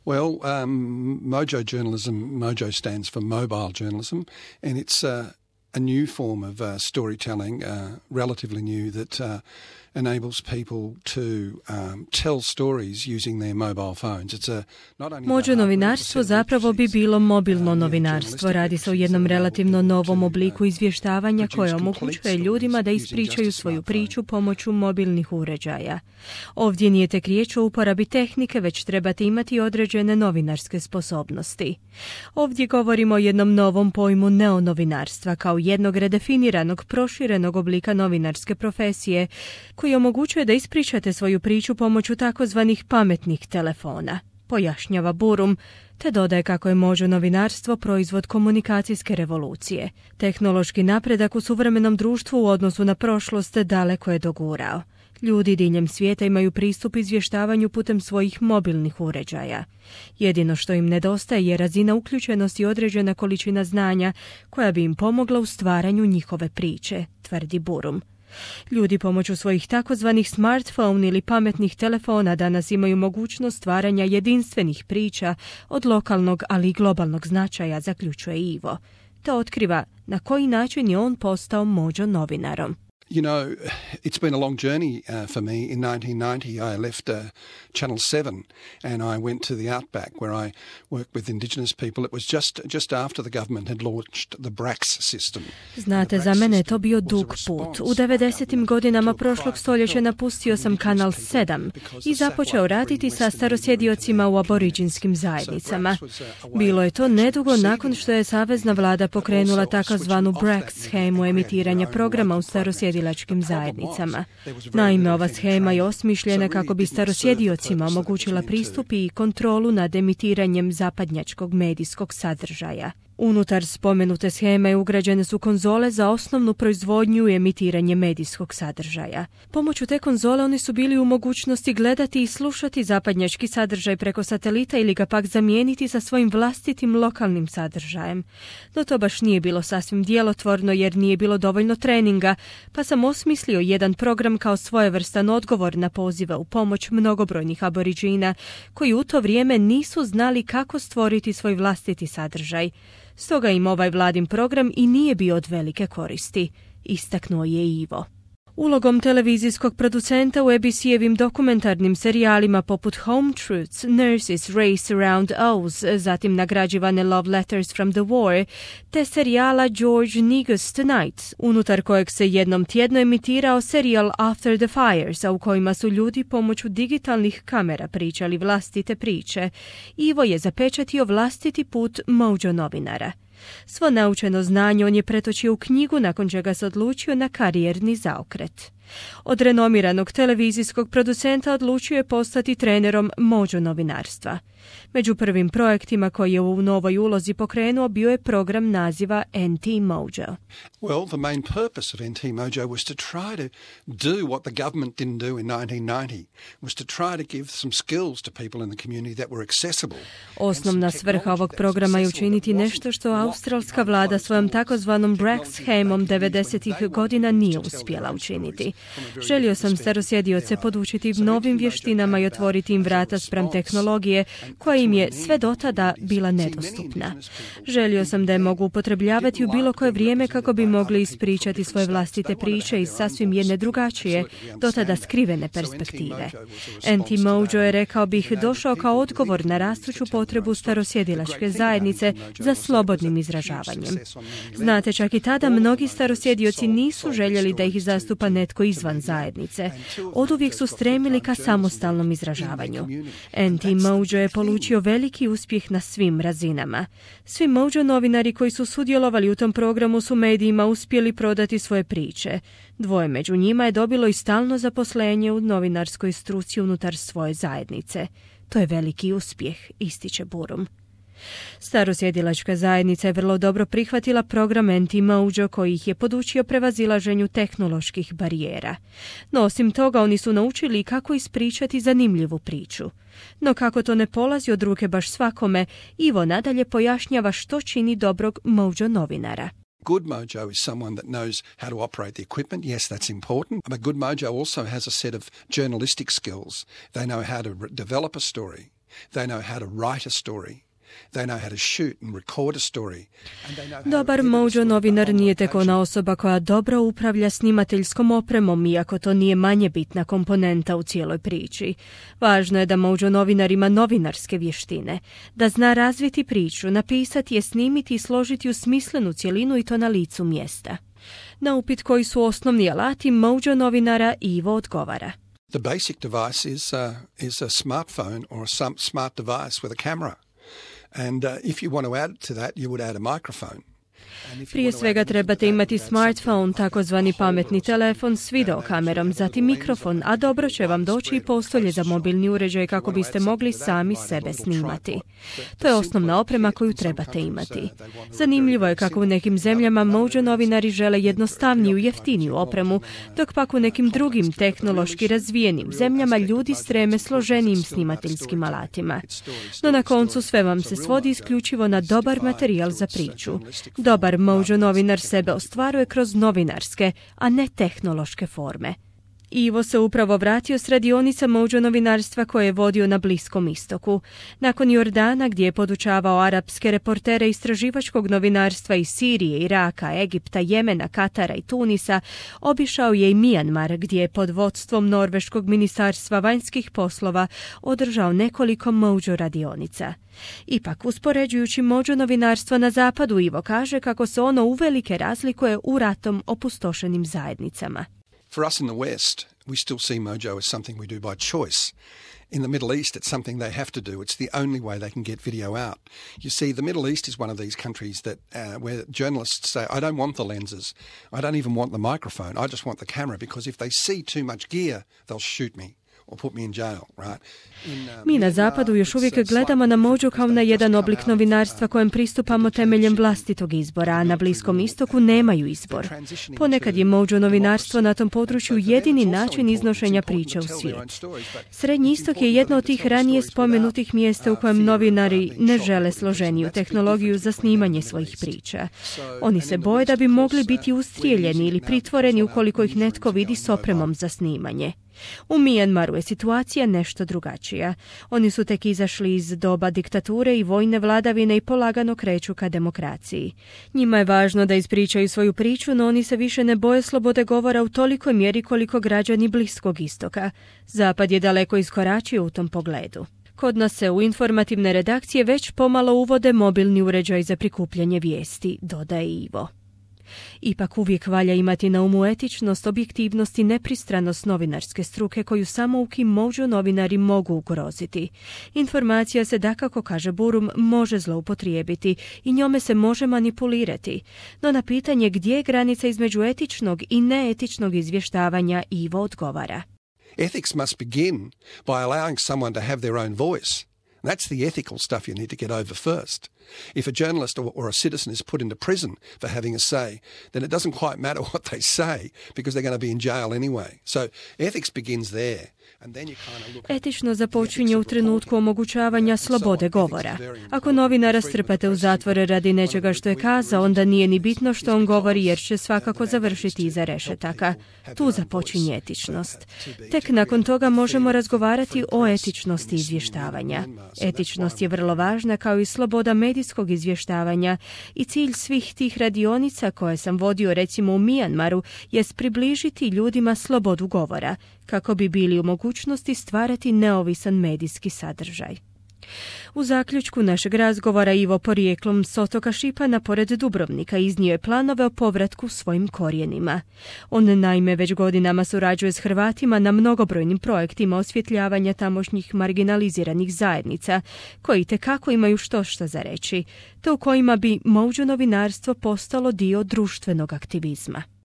Well, Mojo journalism, Mojo stands for mobile journalism, and it's a new form of storytelling, relatively new, that enables people to tell stories using their mobile phones. It's not only Mojo novinarstvo zapravo bi bilo mobilno novinarstvo. Radi se o jednom relativno novom obliku izvještavanja koje omogućuje ljudima da ispričaju svoju priču pomoću mobilnih uređaja. Ovdje nije tek riječ o uporabi tehnike, već trebate imati određene novinarske sposobnosti. Ovdje govorimo o jednom novom pojmu neonovinarstva kao jednog redefiniranog, proširenog oblika novinarske profesije koji omogućuje da ispričate svoju priču pomoću takozvanih pametnih telefona, pojašnjava Burum, te dodaje kako je Mojo novinarstvo proizvod komunikacijske revolucije. Tehnološki napredak u suvremenom društvu u odnosu na prošlost daleko je dogurao. Ljudi diljem svijeta imaju pristup izvještavanju putem svojih mobilnih uređaja. Jedino što im nedostaje je razina uključenosti i određena količina znanja koja bi im pomogla u stvaranju njihove priče, tvrdi Burum. Ljudi pomoću svojih takozvanih smartphone ili pametnih telefona danas imaju mogućnost stvaranja jedinstvenih priča od lokalnog, ali i globalnog značaja, zaključuje Ivo. To otkriva na koji način je on postao Mojo novinarom. You know, it's been a long journey for me. In 1990, I left Channel 7 and I went to the outback where I worked with Indigenous people. It was just after the government had launched the BRACS system. Znate, za mene je to bio dug put. U 90. godinama prošlog stoljeća napustio sam Kanal 7 i započeo raditi sa starosjediocima u aboriđinskim zajednicama. Bilo je to nedugo nakon što je savezna vlada pokrenula takozvanu BRACS shemu emitiranja programa u starosjediocima zajednicama. Naime, ova shema je osmišljena kako bi starosjediocima omogućila pristup i kontrolu nad emitiranjem zapadnjačkog medijskog sadržaja. Unutar spomenute sheme ugrađene su konzole za osnovnu proizvodnju i emitiranje medijskog sadržaja. Pomoću te konzole oni su bili u mogućnosti gledati i slušati zapadnjački sadržaj preko satelita ili ga pak zamijeniti sa svojim vlastitim lokalnim sadržajem. No to baš nije bilo sasvim djelotvorno jer nije bilo dovoljno treninga, pa sam osmislio jedan program kao svojevrstan odgovor na pozive u pomoć mnogobrojnih aboriđina koji u to vrijeme nisu znali kako stvoriti svoj vlastiti sadržaj. Stoga im ovaj vladin program i nije bio od velike koristi, istaknuo je Ivo. Ulogom televizijskog producenta u ABC-evim dokumentarnim serijalima poput Home Truths, Nurses Race Around Oz, zatim nagrađivane Love Letters from the War, te serijala George Negus Tonight, unutar kojeg se jednom tjedno emitirao serijal After the Fires, a u kojima su ljudi pomoću digitalnih kamera pričali vlastite priče, Ivo je zapečatio vlastiti put Mojo novinara. Svo naučeno znanje on je pretočio u knjigu nakon čega se odlučio na karijerni zaokret. Od renomiranog televizijskog producenta odlučio je postati trenerom Mojo novinarstva. Među prvim projektima koji je u novoj ulozi pokrenuo bio je program naziva NT Mojo. Well, the main purpose of NT Mojo was to try to do what the government didn't do in 1990, was to try to give some skills to people in the community that were accessible. Osnovna svrha ovog programa je učiniti nešto što australska vlada svojom takozvanom BRACS shemom 90. godina nije uspjela učiniti. Želio sam starosjedioce podučiti novim vještinama i otvoriti im vrata spram tehnologije koja im je sve do tada bila nedostupna. Želio sam da je mogu upotrebljavati u bilo koje vrijeme kako bi mogli ispričati svoje vlastite priče iz sasvim jedne drugačije, do tada skrivene perspektive. NT Mojo je, rekao bih, došao kao odgovor na rastuću potrebu starosjedilačke zajednice za slobodnim izražavanjem. Znate, čak i tada mnogi starosjedioci nisu željeli da ih zastupa netko izvan zajednice. Oduvijek su stremili ka samostalnom izražavanju. NT Mojo je polučio veliki uspjeh na svim razinama. Svi Mojo novinari koji su sudjelovali u tom programu su medijima uspjeli prodati svoje priče. Dvoje među njima je dobilo i stalno zaposlenje u novinarskoj struci unutar svoje zajednice. To je veliki uspjeh, ističe Burum. Starosjedilačka zajednica je vrlo dobro prihvatila program NT Mojo koji ih je podučio prevazilaženju tehnoloških barijera. No osim toga oni su naučili kako ispričati zanimljivu priču. No kako to ne polazi od ruke baš svakome, Ivo nadalje pojašnjava što čini dobrog Mojo novinara. Good Mojo is someone that knows how to operate the equipment. Yes, that's important. But good Mojo also has a set of journalistic skills. They know how to develop a story. They know how to write a story. They know how to shoot and record a story. Dobar Mojo novinar nije tek ona osoba koja dobro upravlja snimateljskom opremom, iako to nije manje bitna komponenta u cijeloj priči. Važno je da Mojo novinar ima novinarske vještine, da zna razviti priču, napisati je, snimiti i složiti u smislenu cjelinu i to na licu mjesta. Na upit koji su osnovni alati Mojo novinara, Ivo odgovara. The basic device is a smartphone or some smart device with a camera. And if you want to add to that, you would add a microphone. Prije svega trebate imati smartphone, takozvani pametni telefon s videokamerom, zatim mikrofon, a dobro će vam doći i postolje za mobilni uređaj kako biste mogli sami sebe snimati. To je osnovna oprema koju trebate imati. Zanimljivo je kako u nekim zemljama Mojo novinari žele jednostavniju, jeftiniju opremu, dok pak u nekim drugim tehnološki razvijenim zemljama ljudi streme složenijim snimateljskim alatima. No na koncu sve vam se svodi isključivo na dobar materijal za priču. Dobar Mojo novinar sebe ostvaruje kroz novinarske, a ne tehnološke forme. Ivo se upravo vratio s radionica Mojo novinarstva koje je vodio na Bliskom istoku. Nakon Jordana, gdje je podučavao arapske reportere istraživačkog novinarstva iz Sirije, Iraka, Egipta, Jemena, Katara i Tunisa, obišao je i Mijanmar, gdje je pod vodstvom Norveškog ministarstva vanjskih poslova održao nekoliko Mojo radionica. Ipak, uspoređujući Mojo novinarstvo na zapadu, Ivo kaže kako se ono uvelike razlikuje u ratom opustošenim zajednicama. For us in the West, we still see Mojo as something we do by choice. In the Middle East, it's something they have to do. It's the only way they can get video out. You see, the Middle East is one of these countries that where journalists say, I don't want the lenses. I don't even want the microphone. I just want the camera, because if they see too much gear, they'll shoot me or put me in jail, right? Mi na zapadu još uvijek gledamo na Mojo kao na jedan oblik novinarstva kojem pristupamo temeljem vlastitog izbora, a na Bliskom istoku nemaju izbor. Ponekad je Mojo novinarstvo na tom području jedini način iznošenja priče u svijet. Srednji istok je jedno od tih ranije spomenutih mjesta u kojem novinari ne žele složeniju tehnologiju za snimanje svojih priča. Oni se boje da bi mogli biti ustrijeljeni ili pritvoreni ukoliko ih netko vidi s opremom za snimanje. U Mijanmaru je situacija nešto drugačija. Oni su tek izašli iz doba diktature i vojne vladavine i polagano kreću ka demokraciji. Njima je važno da ispričaju svoju priču, no oni se više ne boje slobode govora u tolikoj mjeri koliko građani Bliskog istoka. Zapad je daleko iskoračio u tom pogledu. Kod nas se u informativne redakcije već pomalo uvode mobilni uređaj za prikupljanje vijesti, dodaje Ivo. Ipak uvijek valja imati na umu etičnost, objektivnost i nepristranost novinarske struke koju samouki Mojo novinari mogu ugroziti. Informacija se, dakako kaže Burum, može zloupotrijebiti i njome se može manipulirati. No na pitanje gdje je granica između etičnog i neetičnog izvještavanja, Ivo odgovara. Ethics must begin by allowing someone to have their own voice. That's the ethical stuff you need to get over first. If a journalist or a citizen is put into prison for having a say, then it doesn't quite matter what they say because they're going to be in jail anyway. So ethics begins there. Etično započinje u trenutku omogućavanja slobode govora. Ako novinara strpate u zatvore radi nečega što je kazao, onda nije ni bitno što on govori jer će svakako završiti iza rešetaka. Tu započinje etičnost. Tek nakon toga možemo razgovarati o etičnosti izvještavanja. Etičnost je vrlo važna kao i sloboda medijskog izvještavanja i cilj svih tih radionica koje sam vodio recimo u Mijanmaru jest približiti ljudima slobodu govora kako bi bili u mogućnosti stvarati neovisan medijski sadržaj. U zaključku našeg razgovora Ivo porijeklom s otoka Šipana pored Dubrovnika iznio je planove o povratku svojim korijenima. On naime već godinama surađuje s Hrvatima na mnogobrojnim projektima osvjetljavanja tamošnjih marginaliziranih zajednica, koji itekako imaju što za reći, te u kojima bi Mojo novinarstvo postalo dio društvenog aktivizma.